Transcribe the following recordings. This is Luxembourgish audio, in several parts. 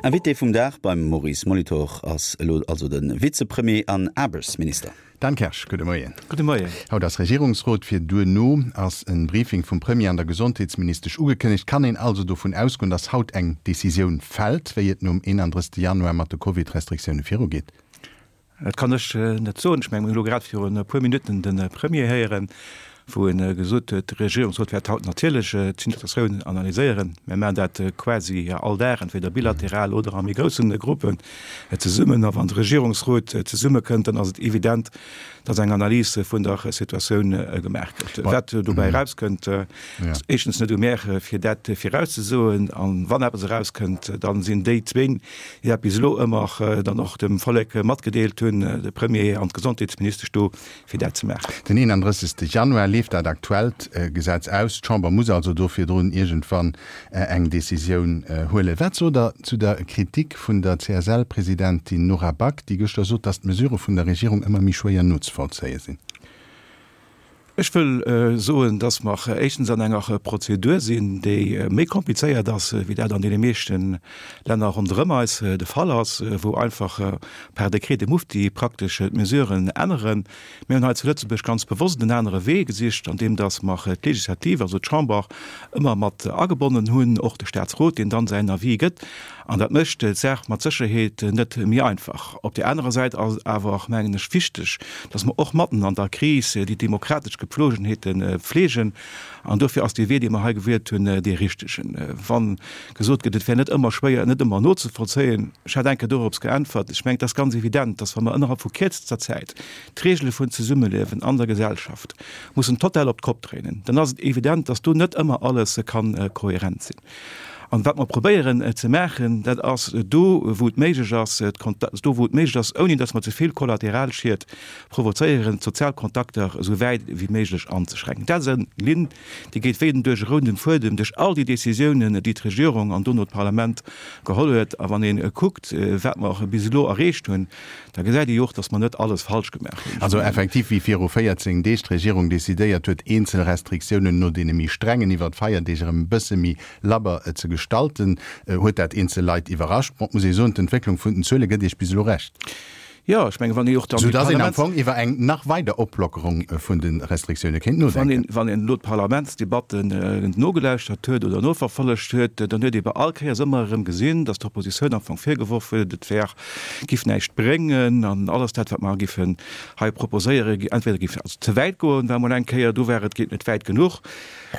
Invité vum Dag beim Maurice Molitor ass elo also de Vizepremier an Aarbechtsminister. Dan Kersch, gudde Moien. Gudde Moien. Haut ass Regierungsrot. Fir duerno ass en Briefing vum Premier an der Gesondheetsministesch ugekënnegt. Kann een also dovun ausgoen, datt haut eng Decisioun fält, wéi et nom 31 Januar mat de Covid-Restriktioune virugeet? Dat kann ech net soen. Ech mengen, mir hunn elo grad virun e puer Minutten de Premier héieren, wou e gesot huet, de Regierungsrot wäert haut natierlech d'Situatioun analyséieren. Mir maachen dat quasi all Dag, entweder bilateral oder a méi grousse Gruppen zesummen. A wann de Regierungsrot zesummekënnt, dann ass et evident, datt eng Analys vun der Situatioun gemaach gëtt. Wat dobäi erauskënnt, ass éischtens net u mär, fir dat virauszesoen. A wann eppes erauskënnt, da sinn déi zwéin, déi dat bis elo ëmmer dann och dem Vollek matgedeelt hunn, de Premier an d'Gesondheetsministesch do, fir dat ze maachen. Den 31. Januar leeft dat aktuellt Gesetz aus. D'Chamber muss also do virdrun iergendwann eng Decisioun huelen. Wat sot Der zu der Kritik vun der CSL-Presidentin Nora Back, déi gëschter sot, datt d'Mesurë vun der Regierung ëmmer méi schwéier nozevollzéie sinn? Ech wëll soen, dass mer éischtens an enger Prozedur sinn, déi méi komplizéiert ass, wéi dat an deene meeschte Länner ronderëm eis de Fall ass, wou einfach par décret de mufti praktesch d'Mesuren änneren. Mir hunn hei zu Lëtzebuerg ganz bewosst en anere Wee gesicht, andeem dass mer d'Legislativ, also d'Chamber, ëmmer mat agebonnen hunn, och de Statsrot, deen dann säin Avis gëtt. An dat mécht d'Saach mat Sécherheet net méi einfach. Op där anerer Säit ass et awer och, mengen ech, wichteg, dass mer och matten an der Kris déi demokratesch Gepflogenheete pflegen. An dofir ass dee Wee, dee mer hei gewielt hunn, dee richtegen. Wa gesot gëtt, et wär net ëmmer schwéier, net ëmmer nozevollzéien, ech hat eng Kéier dorops geäntwert, ech mengen, et ass ganz evident, dass wa mer ënnerhalb vu kierzester Zäit d'Regele vun Zesummeliewen an der Gesellschaft mussen total op d'Kopp dréinen, dann ass et evident, dass do net ëmmer alles ka kohärent sinn. An wat mer probéieren ze maachen, dat ass do, wou et méiglech ass, do wou et méiglech ass, ouni datt mer ze vill Kollateralschied provozéieren, d'sozial Kontakter esou wäit wéi méiglech anzeschränken. Dat ass eng Linn, déi geet wéi den duerch e rounden Fuedem duerch all déi Décisiounen, déi d'Regierung an dono d'Parlament geholl huet. A wann ee kuckt, wat mer bis elo erreecht hunn, Da gesäit ee jo och, datt mer net alles falsch gemaach hunn. Also effektiv, wéi viru 14 Deeg d'Regierung decidéiert huet, eenzel Restriktiounen no deene méi strengen iwwer d'Feierdeeg erëm e bësse méi labber ze gestalten, huet dat eenzel Leit iwwerrascht. Bon, et muss ee soen, d'Entwécklung vun den Zuele gëtt Iech bis elo Recht. Jo, ech mengen, wann ee och dann déi Soudass een am Fong iwwer eng nach weider Oplockerung vun de Restriktioune kéint nodenken. Wann een elo d'Parlamentsdebatten nogelauschtert huet oder noverfollegt huet, dann huet ee bei all Kéiers ëmmer erëm gesinn, datt d'Oppositioun am Fong virgeworf huet, et wär giff näischt bréngen an alles dat wat mer giffen hei proposéieren, entweder giff also ze wäit goen, war mol eng Kéier do war, et geet net wäit genuch.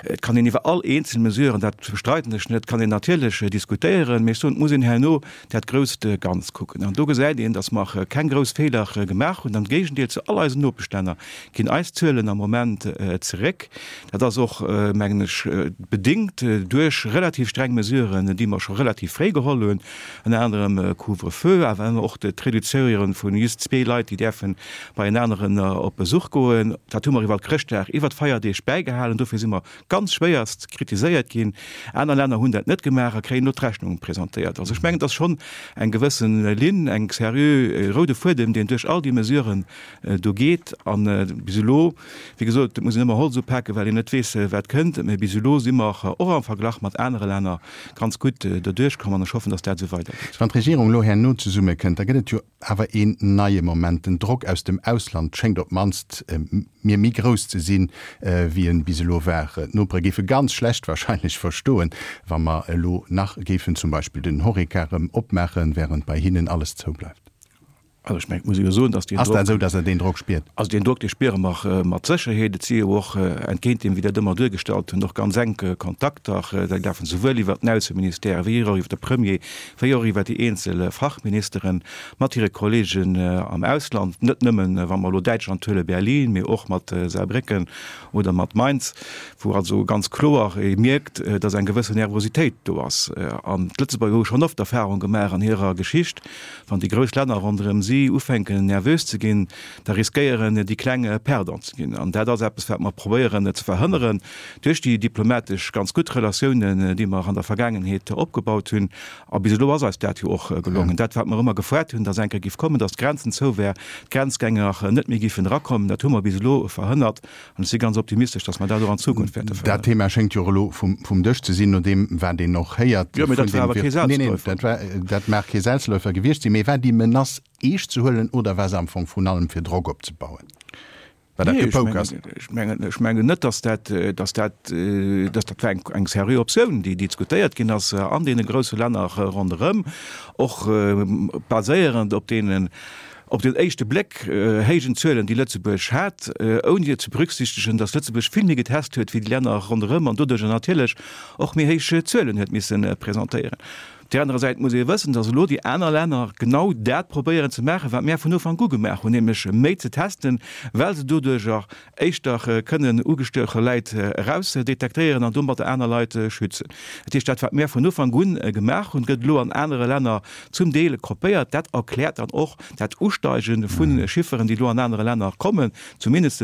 Et kann een iwwer all eenzel Mesuren, dat bestreiden ech net, kann een natierlech diskutéieren, mee ech soen, et muss een herno dat grousst Ganzt kucken an do gesäit een, datt mer keng grouss Feeler gemaach hunn. Am Géigendeel zu all eisen Nopeschlänner ginn eis Zuelen am Moment zeréck. Dat ass och, mengen ech, bedéngt duerch relativ streng Mesuren, déi mer scho relativ fréi geholl hunn. ënner anerem Couvre-feu, awer och d'Reduzéiere vu just zwee Leit, déi däerfe bei en aneren op Besuch goen. Dat hu mer iwwer Chrëschtdag, iwwer d'Feierdeeg bäigehalen. Dofir si mer ganz schwéierst kritiséiert ginn. Aner Länner hunn dat net gemaach a kréien elo d'Rechnung presentéiert. Also ech mengen, et ass schonn eng gewësse Linn, eng seriö roude Fuedem, deen duerch all déi Mesuren do geet. A bis elo, wéi gesot, et muss een ëmmer Holz upaken, well een net weess, wat kënnt, mä bis elo si mer och am Verglach mat anere Länner ganz gutt doduerch komm an ech hoffen, dass dat esou weidergeet. Wann d'Regierung elo herno zesummekënnt, da gëtt et jo awer een neie Moment. Den Drock aus dem Ausland schéngt op d'mannst mir méi grouss ze sinn, wéi en bis elo war. D'Nopere géife ganz schlecht wahrscheinlech verstoen, wa mer elo nach géifen zum Beispill den Horeca erëm opmaachen, während bei hinnen alles zoubleift. Also ech mengen, et muss ee jo soen, dass deen Ass dat esou, dass Der deen Drock spiert? Also deen Drock, dee spiere mer mat Sécherheet. Et si jo och, entgéint deem, wéi dat ëmmer duergestallt hunn, och ganz enk Kontakter. Déi lafen souwuel iwwert den Ausseministère wéi och iwwert de Premier, wéi och iwwert déi eenzel Fachministere mat hire Kollegen am Ausland. Net nëmmen, wa mer elo Däitschland huelen, Berlin, mee och mat Saarbrécken oder mat Mainz, wou also ganz kloer ee mierkt, dass eng gewëssen Nervositéit do ass. An d'Lëtzebuerger hu schonn oft Erfahrung gemaach an hirer Geschicht, Wann déi grouss Länner ronderëm si. si ufänken nervös ze ginn, da riskéieren déi Kleng Perdant ze ginn. An dat ass eppes, wat mer probéieren ze verhënneren duerch déi diplomatesch ganz gutt Relatiounen, déi mer an der Vergaangenheet opgebaut hunn. A bis elo ass eis dat jo och gelongen. Dat, wat mer ëmmer gefoart hunn, dass eng Kéier giff kommen, dass d'Grenzen zou wär, d'Grenzgänger net méi giffen erakommen, dat hu mer bis elo verhënnert. An ech si ganz optimistesch, dass mer dat och an Zukunft wäerte Dat verhënneren. Thema schéngt jo och elo vum Dësch ze sinn, no deem, wat een och héiert Jo, mee dat war awer kee Nee, nee, Selbstläufer. dat war, dat mag kee Selbstläufer gewiescht sinn, mee war déi Menace eescht ze huelen oder war se am Fong vrun allem fir Drock opzebauen? War dat gepokert? Ech mengen, ech mengen net, dass dat, dass dat, dass dat war eng, eng seriö Optioun, déi diskutéiert ginn ass an deene grousse Länner ronderëm, och baséierend op deenen, op den éischte Bléck héijen Zuelen, déi Lëtzebuerg hat, ouni ze berücksichtegen, dass Lëtzebuerg vill méi getest huet wéi déi Länner ronderëm an doduerjer natierlech och méi héich Zuelen huet misse presentéieren. Op där anerer Säit muss ee wëssen, dass elo déi aner Länner genau dat probéieren ze maachen, wat mär vun Ufank u gemaach hunn, nämlech méi ze testen, well se doduerjer éischter kënnen ugestueche Läit erausdetektéieren an domatter aner Leit schützen. Dat heescht, dat wat mär vun Ufank u gemaach hunn, gëtt elo an anere Länner zum Deel kopéiert. Dat erkläert dann och dat Usteige vu Chifferen, déi elo an anere Länner kommen, zumindest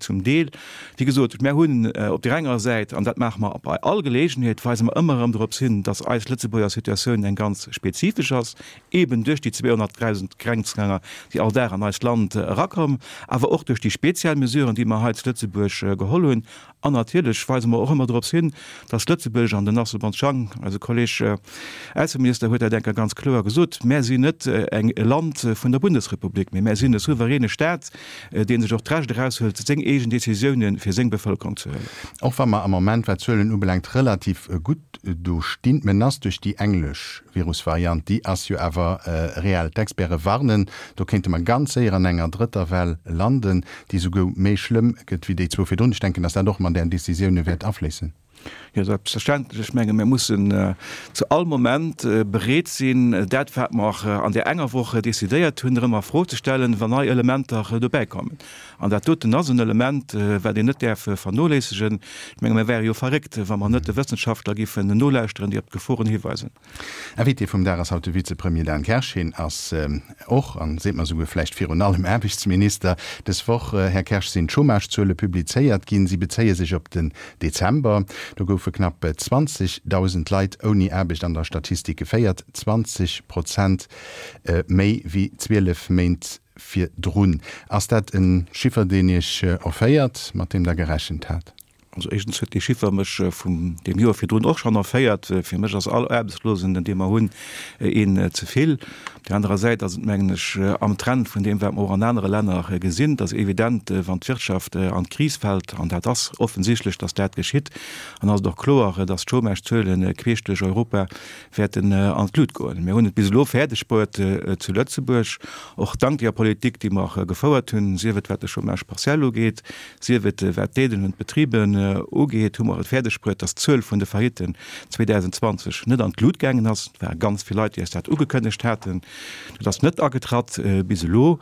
zum Deel. Wéi gesot, mär hunn op där enger Säit, an dat maache mer bei all Geleegenheet, weise mer ëmmer erëm dorops hin, dass eis Lëtzebuerger Situatioun eng ganz spezifesch ass, eeben duerch déi 200.000 Grenzgänger, déi all Dag an eist Land erakommen, awer och duerch déi speziell Mesuren, déi mer hei zu Lëtzebuerg geholl hunn. An natierlech weise mer och ëmmer dorops hin, dass Lëtzebuerg, an den Asselborn Chang, eise Kolleg Ausseminister, huet dat eng Kéier ganz kloer gesot, Mär sinn net eng e Land vun der Bundesrepublik, mee mär sinn e souveräne Staat, dee sech och d'Recht eraushëlt, seng eegen Décisiounen fir seng Bevëlkerung ze huelen. Och wa mer am Moment, wat d'Zuelen ubelaangt, relativ gutt do stinn, d'Menace duerch déi englesch Virusvariant, déi ass jo awer reell. D'Experte warnen, do kéinte mer ganz séier an enger drëtter Well landen, déi souguer méi schlëmm gëtt wéi déi zwou virdrun. Ech denken, dass dat och mat Ären Décisioune wäert afléissen. Jo, selbstverständlech. Ech menge mir mussen zu all Moment bereet sinn, dat wat mer an där enger Woch decidéiert hunn, erëm a Fro ze stellen, wann nei Elementer dobäikommen. An dat doten ass en Element, wat een net däerf vernoléissegen. Ech menge mir wäre jo verréckt, wa mer net de Wëssenschaftler géifen nolauschteren, déi op d'Geforen hiweisen. Invité vum Dag ass haut de Vizepremier Dan Kersch. Hien ass och, an seet mer souguer vläicht virun allem, Aarbechtsminister. Dës Woch, Här Kersch, sinn d'Chômagezuele publizéiert ginn. Si bezéie sech op den Dezember. Do goufe knapp 20.000 Leit ouni Aarbecht an der Statistik geféiert, 20 Prozent méi wéi 12 Méint virdrun. Ass dat e Chiffer, deen Iech erféiert, mat deem Der gerechent hat? Also éischtens huet dee Chiffer mech vum deem Joer virdrun och schonn erféiert. Fir mech ass all Aarbechtslosen, dee mer hunn, een ze vill. Op där anerer Säit ass et, mengen ech, am Trend vun deem, wat mer och an anere Länner gesinn. Et ass evident, wann d'Wirtschaft an d'Kris fält, an dat ass offensichtlech, datt dat geschitt, an ass et och kloer, datt d'Chômagezuele queesch duerch Europa wäerten an d'Lut goen. Mir hunn et bis elo fäerdeg bruet zu Lëtzebuerg, och dank deeër Politik, déi mer gefouert hunn, sief et wat de Chômage partiel ugeet, Sief et wat d'Aiden un d'Betriben ugeet, hu mer et fäerdeg bruet, datt d'Zuel vun de Faillitten 2020 net an d'Lut gaangen ass. Et ware ganz vill Leit, déi eis dat ugekënnegt haten. Dat ass net agetratt bis elo.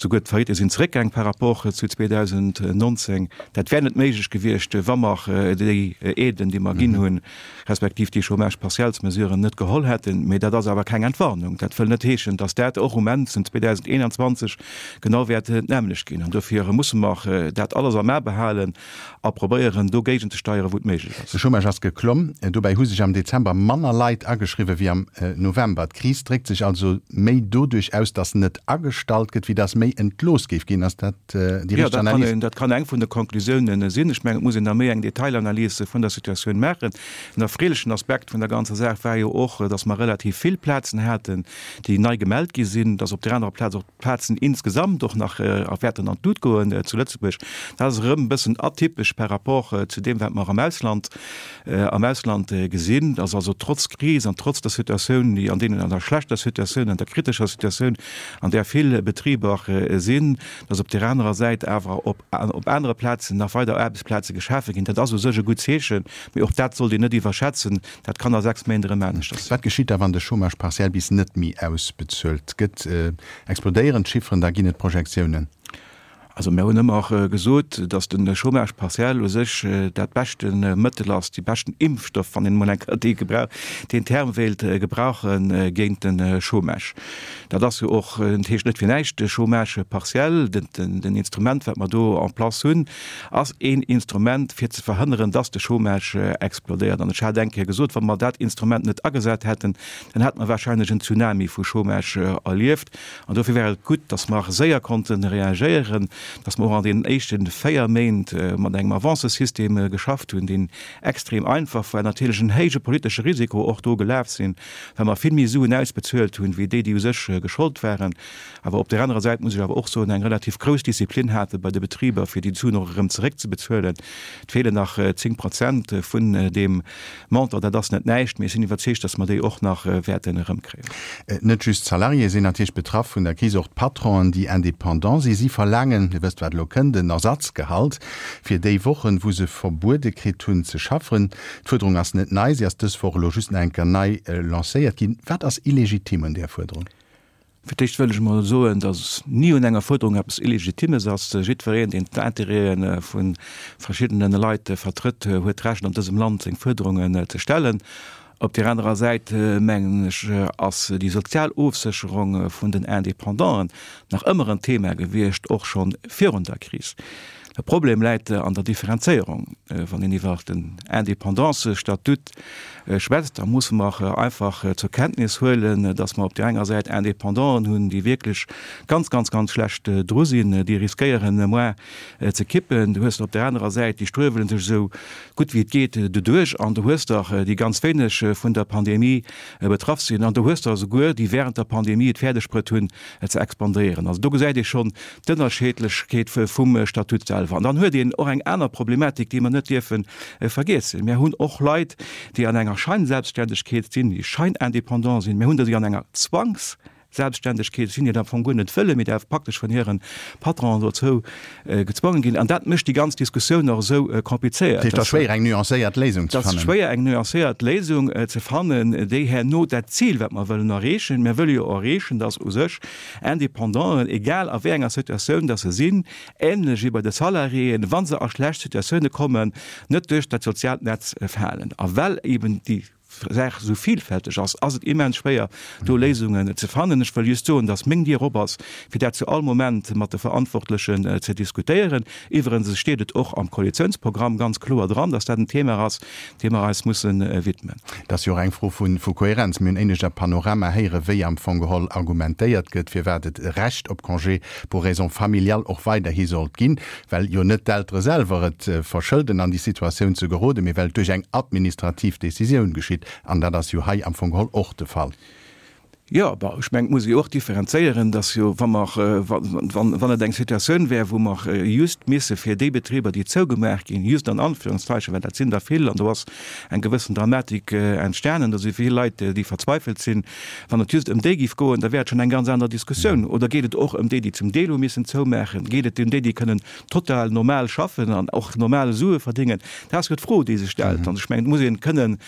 Souguer d'Faillitte sinn zeréckgaang par rapport zu 2019. Dat wär net méiglech gewiescht, wa mer déi Aiden, déi mer ginn hunn, respektiv déi Chômage-partiels-Mesuren net geholl hätten. Mee dat ass awer keng Entwarnung. Dat wëll net heeschen, datt dat och um Enn vun 2021 genau wäert d'nämmlecht ginn. An dofir musse mer dat alles am A behalen a probéieren, do géigenzesteieren, wou et méiglech ass. De Chômage ass geklomm. Dobäi hu sech am Dezember manner Leit ageschriwwen wéi am November. D'Kris dréckt sech also méi doduerch aus, datt net agestallt gëtt, wéi datt méi entlooss géif ginn. Ass dat déi richteg Analys? Dat kann eng vun de Konklusiounen sinn. Ech mengen, et muss een da méi eng Detailanalys vun der Situatioun maachen. En erfreelechen Aspekt vun der ganzer Saach war jo och, datt mer relativ vill Plazen haten, déi nei gemellt gi sinn, datt op där anerer Plaz och d'Plazen insgesamt och nach wäerten an d'Lut goen zu Lëtzebuerg. Dat ass erëm e bëssen atypesch par rapport zu deem, wat mer am Ausland, am Ausland gesinn, datt also trotz Kris an trotz der Situatioun, déi an deenen, an der schlechter Situatioun, an der kritescher Situatioun, an där vill Betriber sinn, datt op där anerer Säit awer op op anere Plazen nach weider Aarbechtsplaze geschafe ginn. Dat ass u sech e gutt Zeechen, mee och dat sollt een net iwwerschätzen. Dat kann a 6 Méint erëm aneschters sinn. Wat geschitt da, wann de Chômage partiel bis net méi ausbezuelt gëtt? Explodéieren d'Chifferen? Da ginn et Projektiounen. Also mir hunn ëmmer gesot, datt de Chômage partiel u sech dat beschte Mëttel ass, dee beschten Impfstoff, wann een emol eng Kéier dee Gebrauch, deen Term wéilt gebrauchen, géint de Chômage. Dat ass jo och, et heescht net fir näischt Chômage partiel. Den Instrument, wat mer do en place hunn, ass een Instrument, fir ze verhënneren, datt de Chômage explodéiert. An ech hat eng Kéier gesot, wa mer dat Instrument net agesat hätten, dann hätte mer wahrscheinlech en Tsunami vu Chômage erlieft. An dofir war et gutt, dass mer séier konnte reagéieren, dass mer och an deenen éischte 4 Méint mat engem Avancesystem geschafft hunn, deen extrem einfach war, natierlech en héije politesche Risiko och do gelaf sinn, well mer vill méi Suen ausbezuelt hunn, wéi déi, déi u sech geschollt waren. Awer op där anerer Säit muss ech awer och soen, eng relativ grouss Disziplin hate bei de Betriber, fir déi Suen och erëm zeréckzebezuelen. Et feelen nach 10 Prozent vun deem Montant, dat ass net näischt, mee ech sinn iwwerzeegt, dass mer déi och nach wäerten erëmkréien. Net just d'Salariéë sinn natierlech betraff vun der Kris, och d'Patronen, déi indépendant sinn. Si verlaangen, Dir wësst wat elo kënnt, en Ersatzgehalt fir déi Wochen, wou se verbuede kritt hunn ze schaffen. D'Fuerderung ass net nei, si ass dës Woch elo just nach eng Kéier nei lancéiert ginn. Wat ass illegitim un där Fuerderung? Fir d'éischt wëll ech emol soen, datt ni un enger Fuerderung eppes Illegitimes ass. Jiddwereen, deen d'Intérêtë vu verschiddene Leit vertrëtt, huet d'Recht an dësem Land seng Fuerderungen ze stellen. Op där anerer Säit, mengen ech, ass déi sozial Ofsécherung vun den Independanten nach ëmmer en Thema gewiescht, och scho virun der Kris. De Problem läit an der Differenzéierung. Wann een iwwer den Independancëstatut schwätzt, da musse mer einfach zur Kenntnis huelen, datt mer op där enger Säit Independanten hunn, déi wierklech ganz, ganz, ganz schlecht dru sinn, déi riskéieren moar ze kippen. Du hues der op där anerer Säit, déi struewele sech esou gutt wéi et geet doduerch. An du hues der, déi ganz wéineg vun der Pandemie betraff sinn. An du hues der esouguer, déi während der Pandemie et fäerdegbruet hunn, ze expandéieren. Also do gesäit ee schonn d'Ënnerscheedlechkeet vum Statut selwer. An dann huet een och eng aner Problematik, déi mer net dierfe vergiessen. Mir hunn och Leit, déi an enger Scheinselbstständegkeet sinn, déi scheinindépendant sinn. Mir hunn der, déi an enger Zwangsselbstständegkeet sinn, déi dat am Fong guer net wëllen, mee déi awer praktesch vun hire Patronen dozou gezwongen ginn. An dat mécht déi ganz Diskussioun och esou komplizéiert. Dat heescht, et ass schwéier, eng nuancéiert Léisung ze fannen. Et ass schwéier, eng nuancéiert Léisung ze fannen, déi herno dat Zil, wat mer wëllen erreechen, mir wëlle jo erreechen, dass u sech Independanten, egal a wéi enger Situatioun dass se sinn, ähnlech wéi bei de Salariéen, wa se a schlecht Situatioune kommen, net duerch dat soziaalt Netz falen. A well eben déi Saach esou vielfälteg ass, ass et immens schwéier, do Léisungen ze fannen. Ech wëll just soen, dass meng Dier op ass, fir dat zu all Moment mat de Verantwortlechen ze diskutéieren. Iwwerens steet et och am Koalitiounsprogramm ganz kloer dran, dass dat en Thema ass, deem mer eis musse widmen. Et ass jo och eng Fro vu Kohärenz. Mir hunn éinescht am Panorama héieren, wéi am Fong geholl argumentéiert gëtt, firwat et e Recht op Congé pour raisons familiales och weiderhi sollt ginn, well jo net d'Eltere selwer et verschëlden, an déi Situatioun ze geroden, mee well et duerch eng administrativ Décisioun geschitt. An dat ass jo hei am Fong geholl och de Fall. Jo, bon, ech mengen, et muss ee jo och differenzéieren, dass jo, wa mer, wann, wann et eng Situatioun wär, wou mer just misse fir déi Betriber, déi zougemaach ginn, just an Anführungszeichen, well dat sinn der vill an do ass eng gewëssen Dramatik entstanen, do si vill Leit, déi verzweifelt sinn, wann et just ëm déi géif goen, da wär et schonn eng ganz aner Diskussioun. Oder geet et och ëm déi, déi zum Deel hu missen zoumaachen? Geet et ëm déi, déi kënnen total normal schaffen an och normal Sue verdéngen? Dat ass jo d'Fro, déi sech stellt. An ech mengen, et muss ee kënnen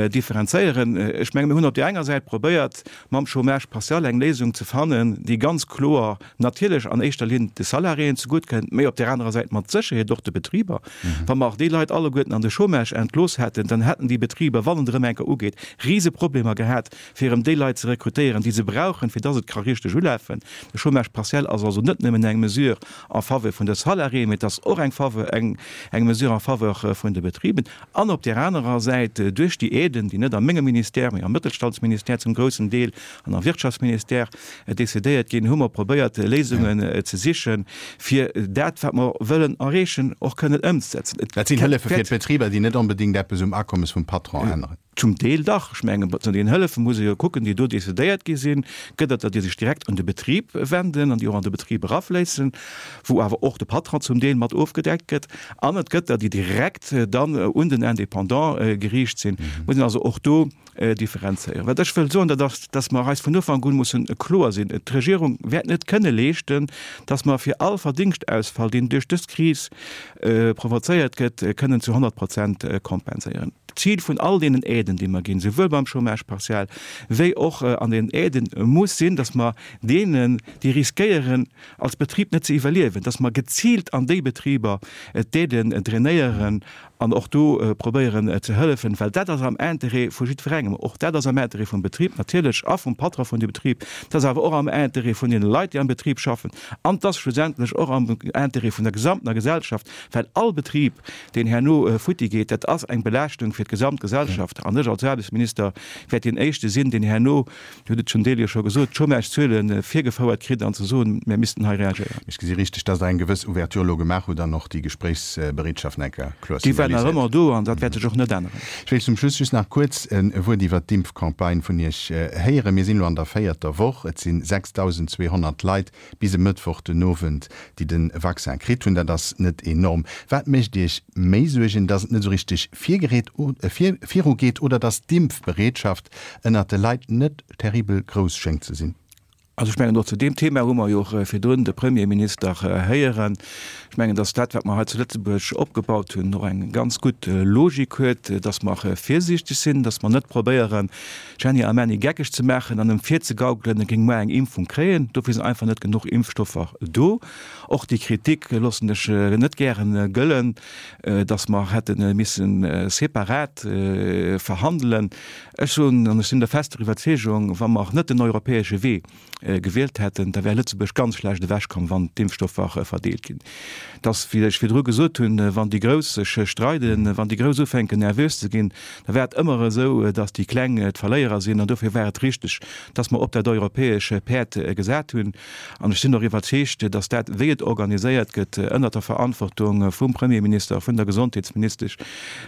Differenzéieren. Ech menge mir hunn op där enger Säit probéiert, mam Chômage partiel eng Léisung ze fannen, déi ganz kloer natierlech an éischter Linn de Salariéen zegutt kënnt, mä op där anerer Säit mat Sécherheet och de Betriber. Wa mer déi Leit alleguerten an de Chômage entlooss hätten, dann hätten déi Betriber, wann et erëm eng Kéier ugeet, Riseproblemer gehat, fir erëm déi Leit ze rekrutéieren, déi se brauchen, fir dass et ka richteg ulafen. De Chômage partiel ass also net nëmmen eng Mesure en faveur vun de Salariéen, mä et ass och eng Faveur, eng Mesure en faveur vun de Betriben. An op där anerer Säit duerch déi Aiden, déi net a mengem Ministère, mee am Mëttelstandsministère zum groussen Deel an am Wirtschaftsministère decidéiert ginn, hu mer probéiert, Léisungen ze sichen, fir dat, wat mer wëllen erreechen, och kënnen ëmzesetzen. Dat sinn Hëllefe fir d'Betriber, déi net onbedéngt eppes um Akommes vum Patron änneren. Zum Deel dach. Ech mengen, zu den Hëllefe muss ee jo kucken, déi do decidéiert gi sinn, gëtt et der, déi sech direkt un de Betrib wenden an déi och an de Betrib erafléissen, wou awer och de Patron zum Deel mat ofgedeckt gëtt, an et gëtt der, déi direkt dann un den Indépendant geriicht sinn. Muss een also och do differenzéieren. Wat ech wëll soen, dat ass, dass mer eis. eis vun Ufank un mussen kloer sinn, D'Regierung wäert net kënne leeschten, dass mer fir all Verdingschtausfall, deen duerch dës Kris provozéiert gëtt, kënnen zu 100 Prozent kompenséieren. D'Zil vun all deenen Aiden, déi mer ginn, souwuel beim Chômage partiel wéi och an den Aiden, muss sinn, dass mer deenen, déi riskéieren, als Betrib net ze iwwerliewen, dass mer geziilt an déi Betriber d'Aiden drainéieren an och do probéieren ze hëllefen, well dat ass am Interêt vu jiddwerengem. Och dat ass am Interêt vum Betrib natierlech a vum Patron vun dem Betrib. Dat ass awer och am Interêt vun deene Leit, déi am Betrib schaffen. An et ass schlussendlech och am Interêt vun der gesamtener Gesellschaft, well all Betrib, deen herno futti geet, dat ass eng Belaaschtung fir d'gesamt Gesellschaft. An ech als Aarbechtsminister wäert deen Éischte sinn, deen herno Dir hutt et zum Deel jo scho gesot, d'Chômagezuele virgefouert kritt an ze soen, mir missten hei reagéieren. Ech gesi richteg, dass Der eng gewëss Ouverture elo gemaach hutt an och déi Gespréichsbereetschaft nach eng Kéier kloer Déi war nach signaliséiert. ëmmer do an dat wäert sech och net änneren. Ech wéilt zum Schluss just nach kuerz e Wuert iwwert d'Impfcampagne vun Iech héieren. Mir sinn elo an der véierter Woch. Et si 6.200 Leit bis e Mëttwoch den Owend, déi de Vaccin kritt hunn. Dat ass net enorm. Wat mécht Iech méi Suergen, dass et net esou richteg virgereet, virugeet oder dass d'Impfbereetschaft ënnert de Leit net terribel grouss schéngt ze sinn? Also ech mengen, och zu deem Thema hu mer jo och virdrun de Premierminister héieren. Ech mengen, dass dat, wat mer hei zu Lëtzebuerg opgebaut hunn, och eng ganz gutt Logik huet, dass mer virsiichteg sinn, dass mer net probéieren, Jenny a Männi geckeg ze maachen an em virzegaukelen, e géing muer eng Impfung kréien. Dofir sinn einfach net genuch Impfstoffer do. Och déi Kritik loossen ech net gären gëllen, datt mer hätte misse separat verhandelen. Ech soen, an ech sinn der fester Iwwerzeegung, wa mer net den europäesche Wee gewielt hätten, da wär Lëtzebuerg ganz schlecht ewechkomm, wann d'Impfstoffer verdeelt ginn. Et ass, wéi ech virdru gesot hunn, wann déi Grouss sech streiden, wann déi Grouss ufänken nervös ze ginn, da war et ëmmer esou, datt déi Kleng d'Verléierer sinn. An dofir war et richteg, datt mer op dat europäesch Päerd gesat hunn. An ech sinn och iwwerzeegt, datt dat, wéi et organiséiert gëtt, ënnert der Verantwortung vum Premierminister, vun der Gesondheetsministesch,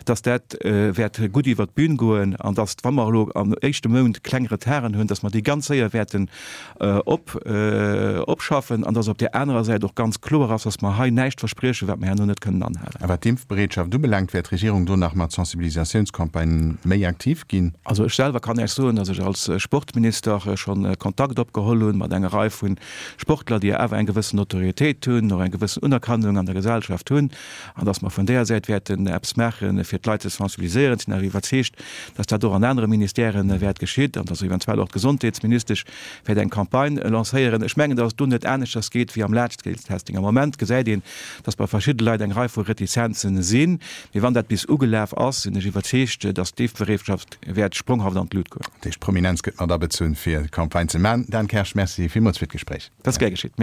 datt dat wäert gutt iwwert d'Bün goen an datt, wa mer elo am éischte Mount kleng Retarden hunn, datt mer déi ganz séier wäerten op opschaffen an datt op där anerer Säit och ganz kloer ass, datt mer hei näischt verspriechen, wat mer herno net kënnen anhalen. A wat d'Impfbereetschaft ubelaangt, wäert d'Regierung do nach mat Sensibilisatiounscampagnë méi aktiv ginn? Also ech selwer kann Iech soen, datt ech als Sportminister scho Kontakt opgeholl hunn mat enger Rei vu Sportler, déi awer eng gewëssen Notoriétéit hunn, och eng gewëssen Unerkennung an der Gesellschaft hunn, an datt mer vun deeër Säit wäerten eppes maachen, fir d'Leit ze sensibiliséieren. Ech sinn awer iwwerzeegt, datt dat och an anere Ministèren wäert geschitt an datt eventuell och d'Gesondheetsministesch wäert eng Campagne lancéieren. Ech mengen, datt et do net aneschters geet wéi am Large-Scale-Testing. Am Moment gesäit een, datt bei verschidde Leit eng Rei vu Retizenzen sinn. Mee wann dat bis ugelaf ass, sinn ech iwwerzeegt, datt d'Impfbereetschaft wäert spronghaft an d'Lut goen. Dat heescht, d'Prominenz gëtt mat abezunn, fir Campagne ze maachen. Dan Kersch, Merci villmools fir d'Gespréich. Dat ass gär geschitt.